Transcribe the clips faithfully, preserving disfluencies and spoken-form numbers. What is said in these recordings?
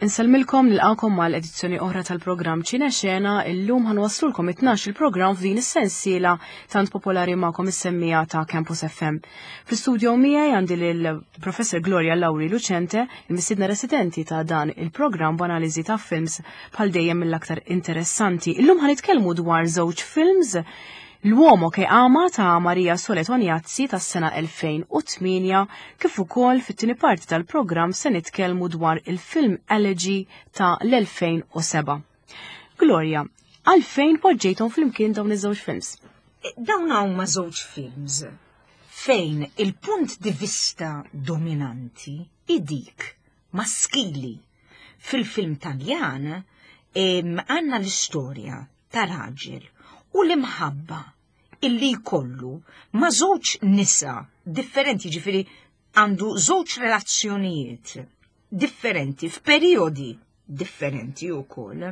Insellmilkom, nilqakom mal-edizzjoni oħra tal-programm Ċinexena. Illum ħa nwasslulkom it-tnax il-programm f'din is-sensiela tant popolari magħkom is-semmija ta' Campus F M. Fl-studio miegħi għandi lil Professor Gloria Lauri Lucente, il-mistiedna residenti ta' dan il-programm b'analiżi ta' films bħal dejjem mill-aktar interessanti. Illum ħa nitkellmu dwar żewġ films: L'uomo che ama ta' Maria Sole Tognazzi tas-sena elfejn u tmienja, kif ukoll fit-tieni parti tal-programm se nitkellmu dwar il-film Elegy ta' l-elfejn u sebgħa. Gloria, għalfejn poġġejthom flimkien dawn iż-żewġ films? Dawn huma żewġ films fejn il-punt di vista dominanti hi dik maskili. Fil-film Taljan għandna l-istorja ta' raġel u l-imħabba illi jkollu ma' żewġ nisa differenti, ġifieri għandu żewġ relazzjonijiet differenti f'perjodi differenti wkoll.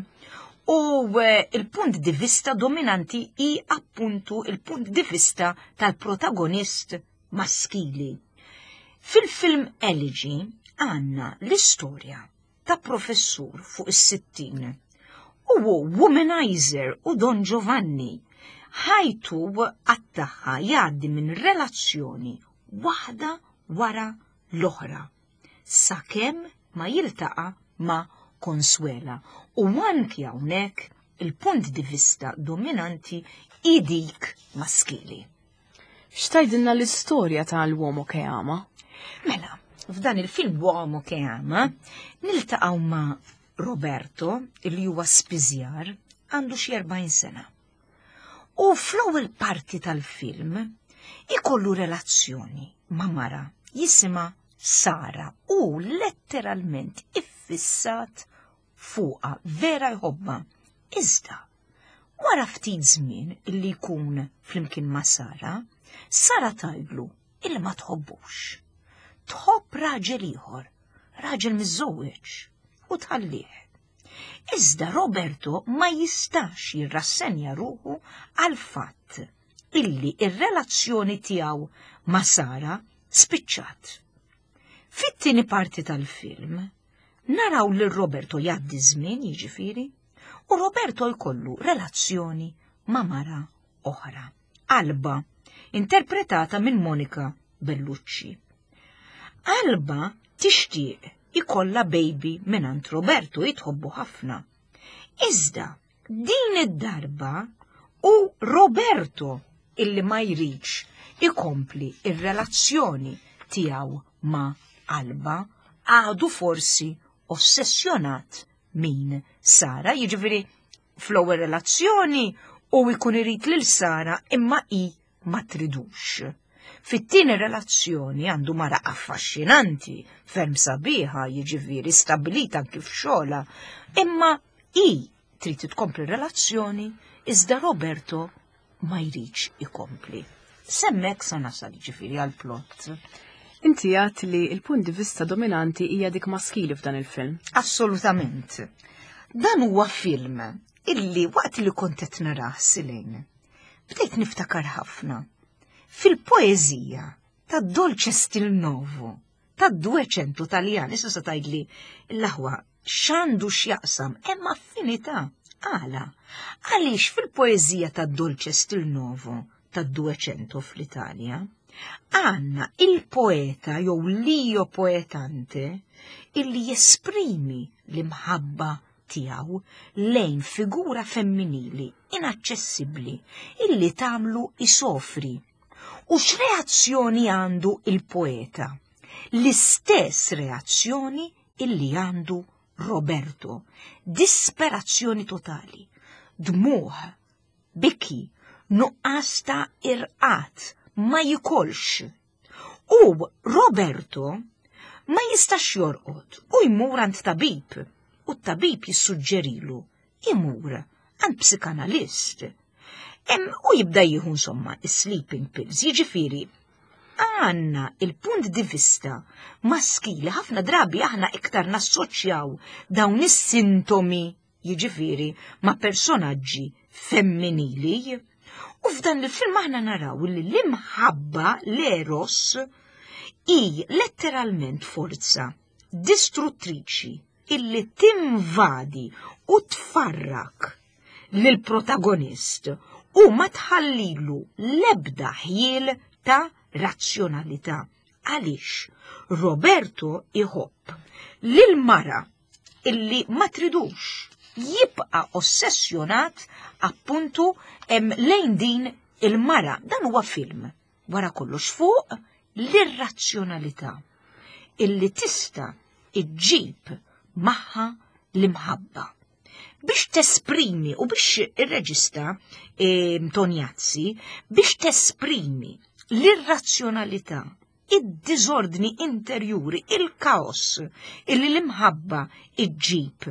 U eh, il-punt di vista dominanti hi appuntu il-punt di vista tal-protagonist maskili. Fil-film Elegy għandna l-istorja ta' professur fuq is-sittin u womanizer u Don Giovanni. Ħajtu għattaħħa jgħaddi minn relazzjoni waħda wara l-oħra sakemm ma jiltaqa' ma' Consuela, u anki hawnhekk il-punt di vista dominanti hi dik maskili. X'tgħidilna l-istorja ta' L'uomo che ama? Mela, f'dan il-film Uomo che ama niltaqgħu ma' Roberto, li huwa spiżjar, għandu xi erbgħin sena. U fl-ewwel parti tal-film ikollu relazzjoni ma' mara jisimha Sara u letteralment iffissat fuqha, vera jħobba. Iżda, wara ftit żmien illi jkun flimkien ma' Sara, Sara tgħidlu illi ma tħobbux. Tħobb raġel ieħor, raġel miżżewweġ, u tħallih. Iżda Roberto ma jistax jirrassenja ruħu għal fatt illi ir-relazzjoni tiegħu ma' Sara spiċċat. Fit-tieni parti tal-film naraw lil Roberto jgħaddi żmien, jiġifieri, u Roberto jkollu relazzjoni ma' mara oħra, Alba, interpretata minn Monica Bellucci. Alba tixtieq ikolla baby minn Roberto, jitħobbu ħafna. Iżda, din id-darba hu Roberto illi ma jridx ikompli ir-relazzjoni tiegħu ma' Alba, għadu forsi ossessjonat minn Sara, jiġifieri fl-ewwel relazzjoni u jkun irid lil Sara imma hi ma tridux. Fit-tieni relazzjoni għandu mara affaxxinanti, ferm sabiħa, jiġifieri stabilita anki f'xogħolha, imma hi trid tkompli relazzjoni, iżda Roberto ma jridx ikompli. S'hemmhekk sa nasal, jiġifieri għal-plot. Inti għedt li il-punt di vista dominanti hija dik maskili f'dan il-film. Assolutament. Dan huwa film illi waqt li kont qed narah, Silejn, bdejt niftakar ħafna fil-poeżija ta' Dolce Stil Novo, ta' Duecento Taljan. Issa sa tgħidli l-aħwa x'għandu x'jaqsam, hemm affinità. Għala? Għaliex fil-poeżija ta' Dolce Stil Novo ta' Duecento fl-Italja, għandna il-poeta jew l'io poetante illi jesprimi l-imħabba tiegħu lejn figura femminili inaċċessibbli illi tagħmlu isofri. U x'reazzjoni għandu il-poeta? L-istess reazzjoni illi għandu Roberto. Disperazzjoni totali, dmuħ, biki, nuqqas ta' irqad, ma jikolx. U Roberto ma jistax jorqod u jmur għand tabib u t-tabib jissuġġerilu imur għand psikanalist. Em, u jibda jieħu insomma sleeping pills, jiġifieri għandna il-punt di vista maskili. Ħafna drabi aħna iktar nassoċjaw dawn is-sintomi, jiġifieri, ma' personaġġi femminili. U f'dan il-film aħna naraw li l-imħabba, l-eros, hi letteralment forza distruttriċi. illi tinvadi u tfarrak lill-protagonist u ma tħallilu l-ebda ħjiel ta' razzjonalità. Għaliex Roberto iħobb lil mara illi ma tridux, jibqa' ossessjonat appuntu lejn din il-mara. Dan huwa film wara kollox fuq l-irrazzjonalità illi tista' iġġib magħha l-imħabba. Biex tesprimi u biex ir-reġista e, Tognazzi biex tesprimi l-irrazzjonalità, id-diżordni interjuri, il-kaos illi l-imħabba iġġib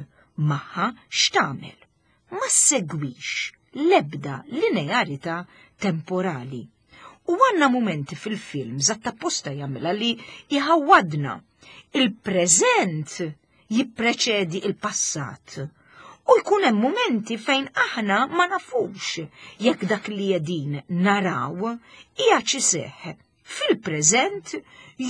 magħha, x'tagħmel? Ma segwix l-ebda linearità temporali. U għanna momenti fil-film zatta posta jagħmilha li jħawwadna. Il-preżent jippreċedi il-passat. U jkun hemm momenti fejn aħna ma nafux jekk dak li qegħdin naraw hija iseħħ fil-preżent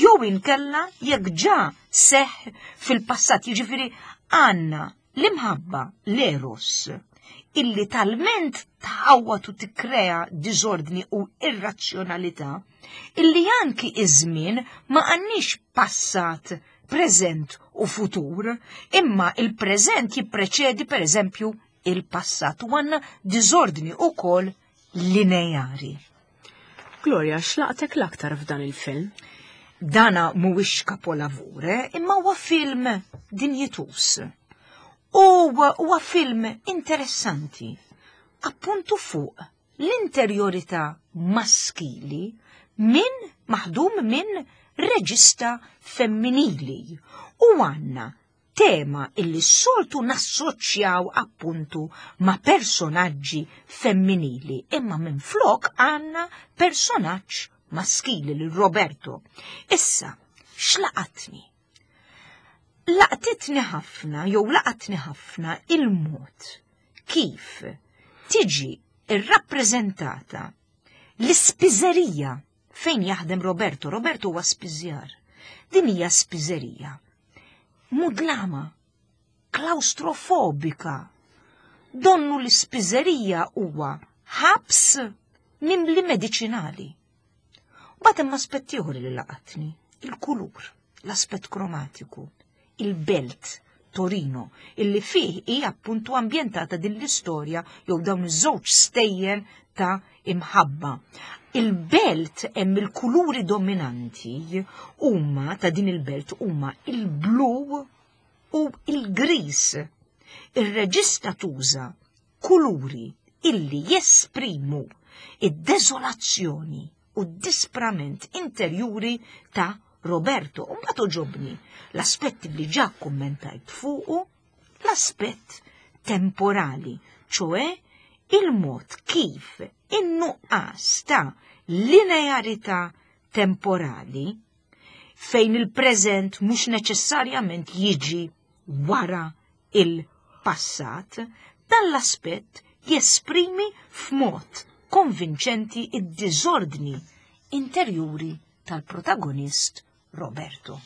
jew inkella jekk ġa seħħ fil-passat. Jiġifieri għandna l-imħabba, l-eros, illi talment tħawwat u tikkrea diżordni u irrazzjonalità, illi anki iż-żmien ma għandniex passat, preżent u futur, imma il-preżent jippreċedi per eżempju il-passat u għandna diżordni ukoll lineari. Gloria, x'laqtek l-aktar f'dan il-film? Dana mhuwiex kapolavur, imma huwa film dinjitus. U huwa film interessanti, appuntu fuq l-interjorità maskili minn maħdum minn reġista femminili. U għanna tema illi soltu nassoċjaw appuntu ma' personaġġi femminili, imma minn flok għanna personaġġ maskili lil Roberto. Issa, x'laqatni? Laqtitni ħafna, jew laqatni ħafna il-mod kif tiġi irrappreżentata l-ispiżerija fejn jaħdem Roberto. Roberto huwa spiżjar. Din hija spiżerija mudlama, klaustrofobika. Donnu l-ispiżerija huwa ħabs mimli mediċinali. Mbagħad hemm aspett ieħor li laqatni, il-kulur, l-aspett kromatiku, il-belt Torino, illi fih hija appuntu ambjentata din l-istorja jew dawn iż-żewġ stejjer ta' imħabba. Il-belt hemm il-kuluri dominanti huma ta' din il-belt huma il-blu u il-gris. Ir-reġista tuża kuluri illi jesprimu id-deżolazzjoni u d-disprament interjuri ta' Roberto. U mbagħad oġobni l-aspett li ġa kummentajt fuqu, l-aspett temporali, ċoe il-mod kif in-nuqqas ta' linearità temporali fejn il-preżent mhux neċessarjament jiġi wara il-passat, dan l-aspett jesprimi f'mod konvinċenti id-diżordni interjuri tal-protagonist Roberto.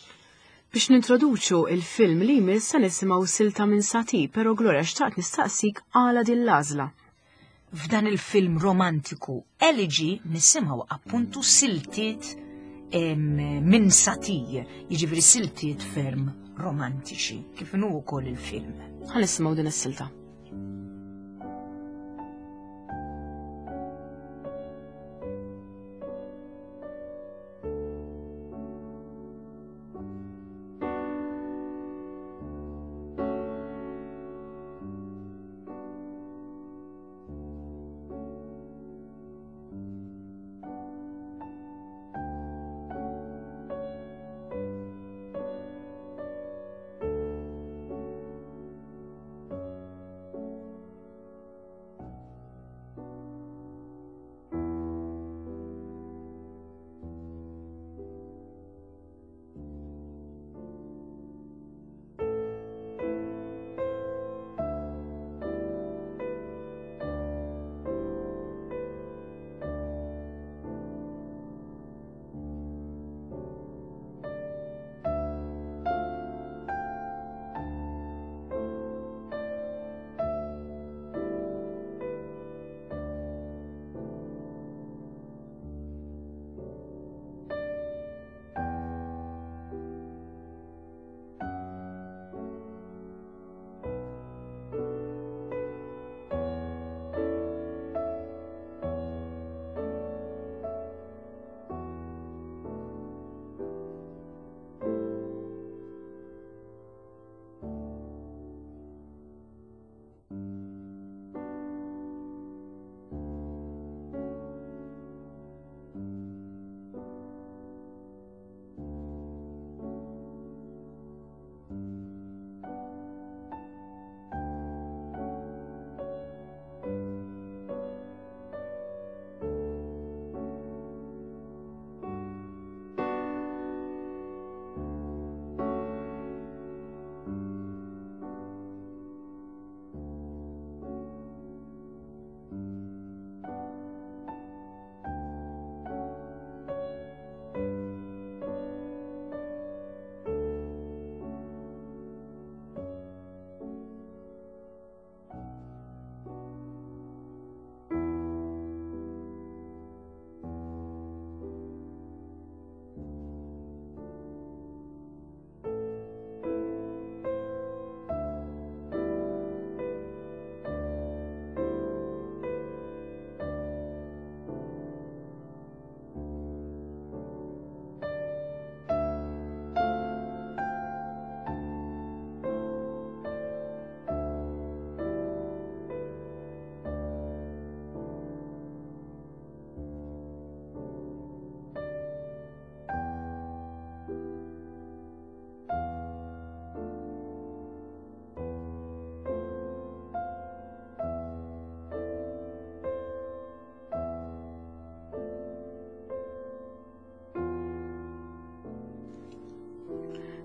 Biex nintroduċu il-film li jmiss se nisimgħu silta minn Satie, però Gloria xtaqt nistaqsik għala din l-għażla. F'dan il-film romantiku Elegy nisimgħu appuntu siltiet minn Satie, jiġifieri siltiet ferm romantiċi, kif inhu wkoll il-film. Ħa nisimgħu din is-silta.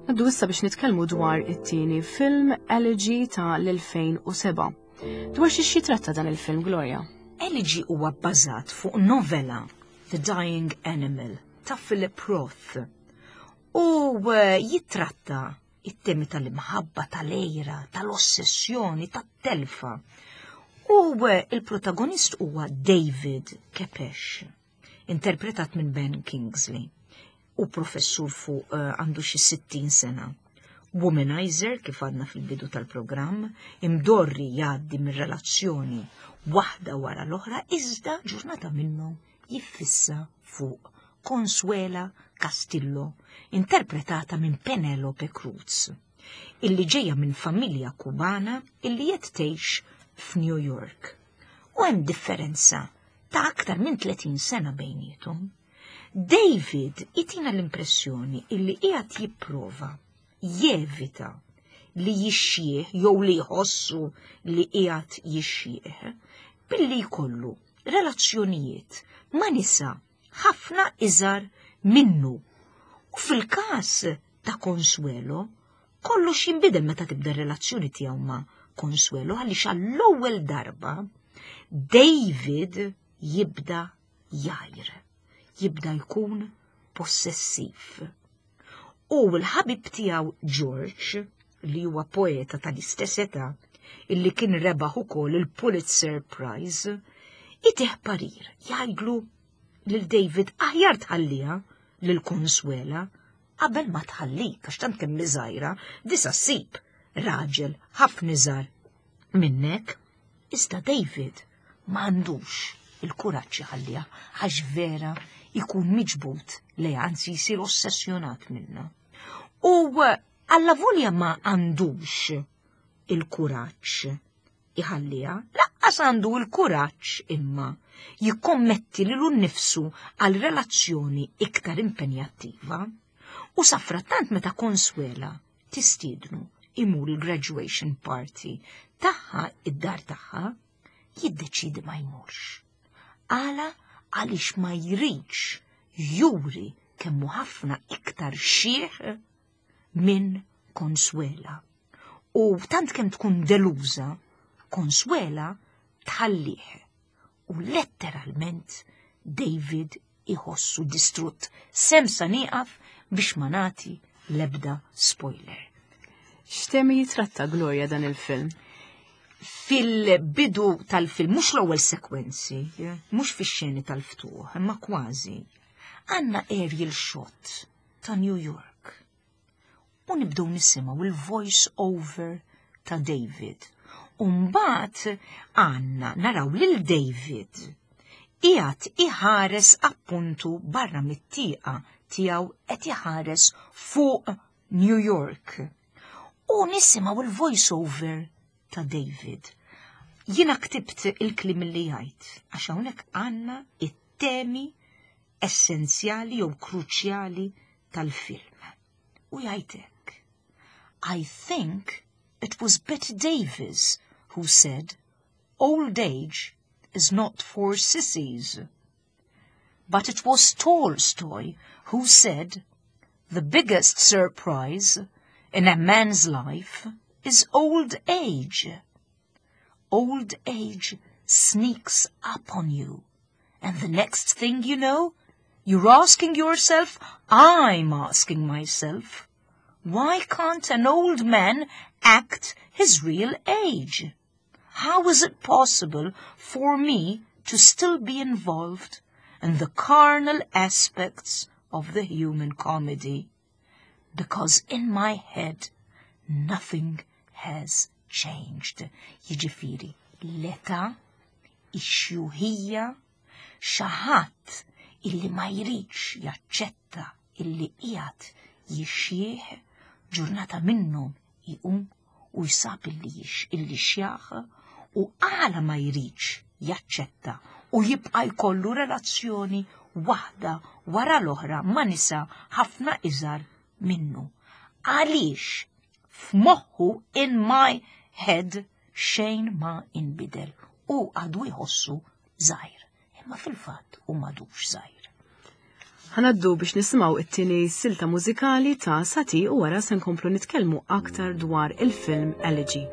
Ngħaddu issa biex nitkellmu dwar it-tieni film Elegy ta' l-elfejn u sebgħa. Dwar xiex jitratta dan il-film, Gloria? Elegy huwa bbażat fuq novella The Dying Animal ta' Philip Roth u eh, jitratta it-temi tal-imħabba, tal-għira, tal-ossessjoni, tat-telfa. U eh, il-protagonist huwa David Kepesh, interpretat minn Ben Kingsley, u professur fuq eh, għandu xi sittin sena. Womanizer, kif għadna fil-bidu tal-programm, imdorri jgħaddi minn relazzjoni waħda wara l-oħra, iżda ġurnata minnu jiffissa fuq Consuela Castillo, interpretata minn Penelope Cruz, illi ġejja minn familja Kubana illi qed tgħix f'New York. U hemm differenza ta' aktar minn tletin sena bejniethom. David itina l-impressjoni illi qiegħed jipprova jevita li jixjieħ jew li jħossu li qiegħed jixjieħ billi jkollu relazzjonijiet ma' nisa ħafna iżgħar minnu. U fil-każ ta' Consuelo, kollox jinbidel meta tibda relazzjoni tiegħu ma' Consuelo, għaliex għall-ewwel darba David jibda jgħir, jibda jkun possessiv. U l-ħabib tiegħu George, li huwa poeta tal-istess età, illi kien rebaħ ukoll il-Pulitzer Prize, itih parir, jgħidlu lil David: "Aħjar tħalliha lil Consuela qabel ma tħallik, għax tant kemm żgħira disa ssib raġel ħafna iżgħar minnek." Iżda David ma għandux il-kuraġġ jħalliha għax vera jkun miġbud li, anzi jsir ossessjonat minna. U allavolja ma għandux il-kuraġġ iħalliha, lanqas għandu il-kuraġġ imma jikkommetti lilu nnifsu għal relazzjoni iktar impenjattiva. U safrattant meta Consuela tistiednu imur il-graduation party tagħha id-dar tagħha, jiddeċidi ma jmurx. Għala? Għaliex ma jridx juri kemmu ħafna iktar xiħ minn Consuela. U tant kemm tkun deluża, Consuela tħallih. U letteralment David iħossu distrutt. S'hemm sa nieqaf biex ma nagħti lebda spoiler. X'temi jitratta, Gloria, dan il-film? Fil-bidu tal-film, mhux l-ewwel sekwenzi, mhux fix-xeni tal-ftuħ, imma kważi, għandna aerial shot ta' New York. U nibdew nisimgħu il-voice over ta' David. U mbagħad għandna naraw lil David qiegħed iħares appuntu barra mit-tieqa tiegħu, qed iħares fuq New York. U nisimgħu il-voice over ta' David. Jiena ktibt il-kliem li jgħid, għax hawnhekk għandna it-temi essenzjali jew kruċjali tal-film. U jgħid hekk: "I think it was Bette Davis who said, 'Old age is not for sissies.' But it was Tolstoy who said, 'The biggest surprise in a man's life is old age.' Old age sneaks up on you, and the next thing you know, you're asking yourself, I'm asking myself, why can't an old man act his real age? How is it possible for me to still be involved in the carnal aspects of the human comedy? Because in my head, nothing has changed." Jiġifieri, l-età, ix-xjuħija, xi ħadd illi ma jridx jaċċetta illi qiegħed jixjieħ, ġurnata minnhom iqum u jsab illi jix illi xjaħ, u għala ma jridx jaċċetta u jibqa' jkollu relazzjoni waħda wara l-oħra ma' nisa ħafna iżgħar minnu? Għaliex f'moħħu, in my head, xejn ma inbidel u għadu jħossu żgħir. Imma fil-fatt u m'għadux żgħir. Ħa ngħaddu biex nisimgħu it-tieni silta mużikali ta' Satie u wara se nkomplu nitkellmu aktar dwar il-film Elegy.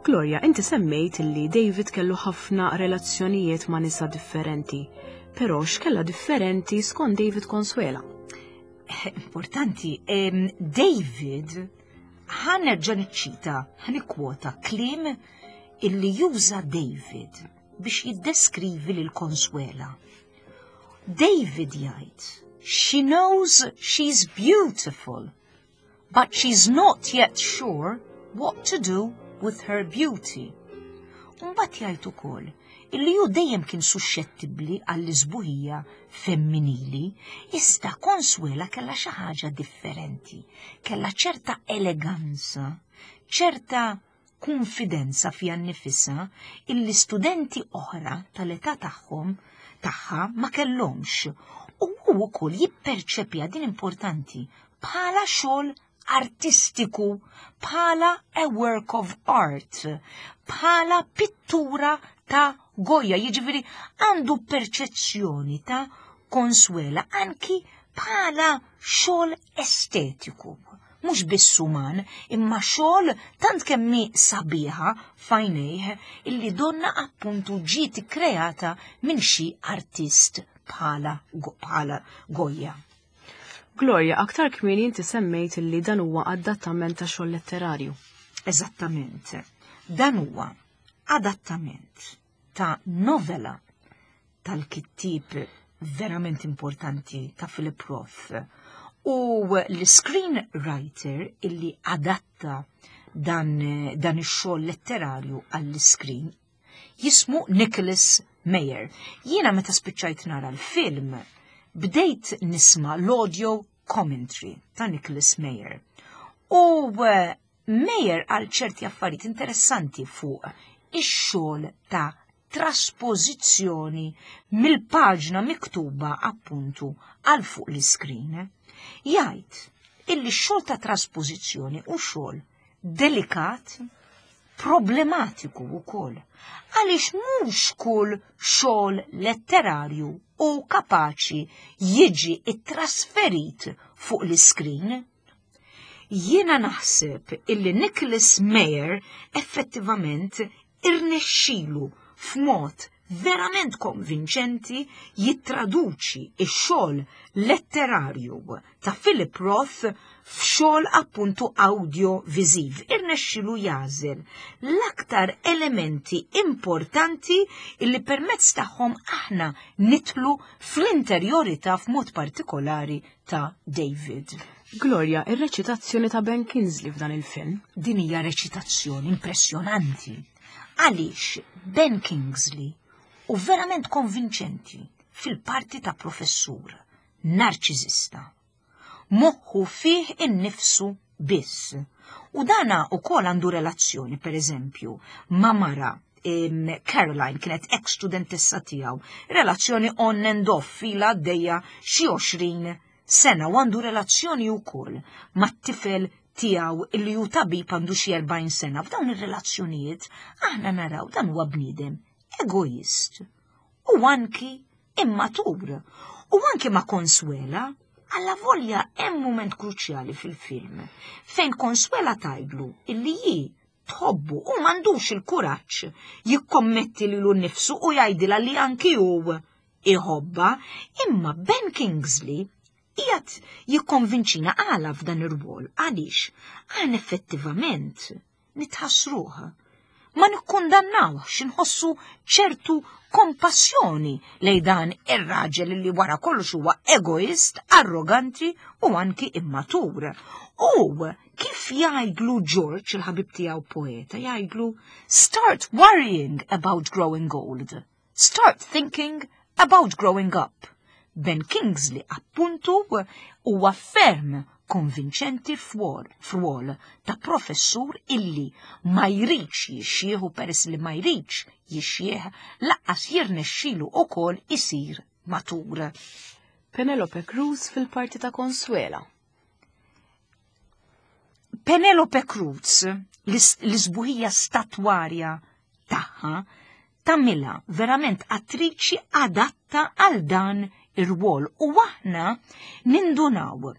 Gloria, inti semmejt li David kellu ħafna relazzjonijiet ma' nisa differenti, però x'kella differenti skont David Consuela? Importanti, em, David ħa nerġa' niċċita, ħa nikkwota kliem illi juża David biex jiddeskrivi lil Consuela. David jgħid, "She knows she's beautiful, but she's not yet sure what to do with her beauty." Mbagħad jgħid ukoll illi hu dejjem kien suxxettibbli għall-isbuħija femminili, iżda Consuela kellha xi ħaġa differenti, kellha ċerta eleganza, ċerta konfidenza fiha nnifisha illi studenti oħra tal-età tagħhom tagħha ma kellhomx. U hu wkoll jipperċepja din importanti bħala xogħol artistiku, bħala a work of art, bħala pittura ta' Goya, jiġifieri għandu perċezzjoni ta' Consuela anki bħala xogħol estetiku. Mhux biss uman, imma xogħol tant kemm hi sabiħa f'għajnejh illi donna appuntu ġiet kreata minn xi artist bħala bħala Goya. Gloria, aktar kmieni inti semmejt illi dan huwa adattament ta' xogħol letterarju. Eżattament. Dan huwa adattament ta' novela tal-kittib verament importanti ta' Philip Roth u l-screenwriter illi adatta dan, dan ix-xogħol letterarju għall-screen jismu Nicholas Meyer. Jiena meta spiċċajt nara l-film bdejt nisma' l-audio commentary ta' Nicholas Meyer. U eh, Meyer għal ċerti affarijiet interessanti fuq ix-xogħol ta' traspożizzjoni mill-paġna miktuba appuntu għal fuq l-iskrin. Jgħid illi x-xogħol ta' traspożizzjoni u xogħol delikat, Problematiku wkoll. Għaliex mhux kull xogħol letterarju hu kapaċi jiġi ittrasferit fuq l-iskrin. Jiena naħseb illi Nicholas Meyer effettivament irnexxilu f'mod verament konvinċenti jittraduċi ix-xogħol letterarju ta' Philip Roth f'xogħol appuntu audiovisiv. Irnexxilu jagħżel l-aktar elementi importanti illi permezz tagħhom aħna nidħlu fl-interjorità, f'mod partikolari, ta' David. Gloria, ir-reċitazzjoni ta' Ben Kingsley f'dan il-film. Din hija reċitazzjoni impressjonanti. Għaliex Ben Kingsley hu verament konvinċenti fil-parti ta' professur, narċisista. Moħħu fih innifsu biss. U dana ukoll għandu relazzjoni, per eżempju, ma' mara, Caroline, kienet ex studentessa tiegħu, relazzjoni on and off ilha għaddejja xi għoxrin sena, u għandu relazzjoni wkoll mat-tifel tiegħu illi hu tabib, għandu xi erbgħin sena. F'dawn ir-relazzjonijiet aħna naraw dan huwa bniedem egoist u anki immatur. U anki ma' Consuela, alla volja hemm moment kruċjali fil-film fejn Consuela tgħidlu illi hi tħobbu u m'għandux il-kuraġġ jikkommetti lilu nnifsu u jgħidilha li anki hu iħobba, imma Ben Kingsley qiegħed jikkonvinċina għala f'dan ir-rwol, għaliex għan effettivament nitħassruh. Ma nikkundannawx, nħossu ċertu kompassjoni lejn dan ir-raġel li wara kollox huwa egoist, arroganti u anki immatur. U kif jgħidlu George, il-ħabib tiegħu poeta, jgħidlu: "Start worrying about growing old. Start thinking about growing up." Ben Kingsley appuntu huwa ferm konvinċenti f'rwol ta' professur illi ma jridx jixjieħ, u peress li ma jridx jixjieħ lanqas jirnexxilu ukoll isir matur. Penelope Cruz fil-parti ta' Consuela. Penelope Cruz, l-isbuħija statwarja tagħha tagħmilha verament attriċi adatta għal dan ir-rwol, u aħna nindunaw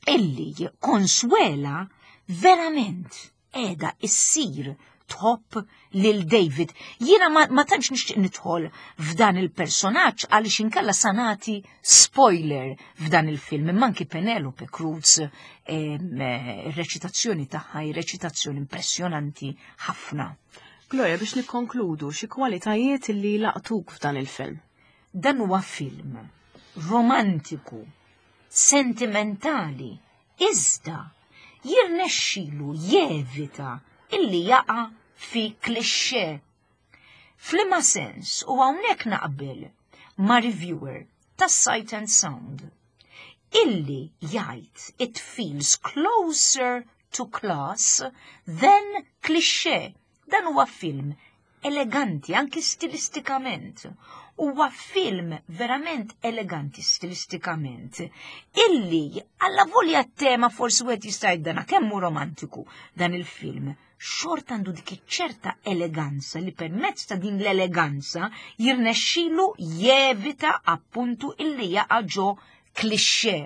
illi Consuela verament qiegħda issir tħobb lil David. Jiena ma, ma tantx nixtieq nidħol f'dan il-personaġġ għaliex inkella sa nagħti spoiler f'dan il-film. Imma anki Penelope Cruz, ir-reċitazzjoni tagħha hi reċitazzjoni impressjonanti ħafna. Gloria, biex nikkonkludu, xi kwalitajiet li laqtuk f'dan il-film? Dan huwa film romantiku, sentimentali, iżda jirnexxilu jevita illi jaqa' fi cliché. F'liema sens, u hawnhekk naqbel ma' reviewer ta' Sight and Sound illi jgħid: "It feels closer to class than cliché." Dan huwa film eleganti anki stilistikament. Huwa film verament eleganti stilistikament. Illi alla volja tema forsi wieħed jista' jgħid kemm hu romantiku dan il-film, xorta għandu dik ċerta eleganza li permezz ta' din l-eleganza jirnexxilu jevita appuntu illi jaqa' ġo cliché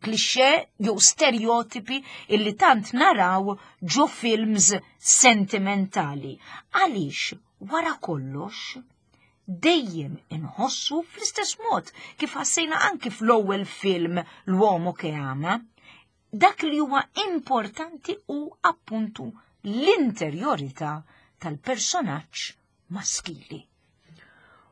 cliché jew stereotipi illi tant naraw ġo films sentimentali. Għaliex wara kollox dejjem inħossu fl-istess mod kif ħassejna anki fl-ewwel film, L'uomo che ama, dak li huwa importanti hu appuntu l-interjorità tal-personaġġ maskili.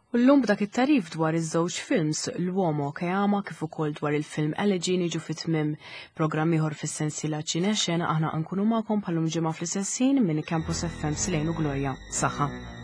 U llum b'dak it-tagħrif dwar iż-żewġ films, L'uomo che ama kif ukoll dwar il-film Elegy, niġu fit-tmiem programm ieħor fis-sensiela Ċinexena. Aħna nkunu magħkom bħal-lum ġimgħa fl-istess ħin minn Campus F M. Silejnu Gloria. Saħħa.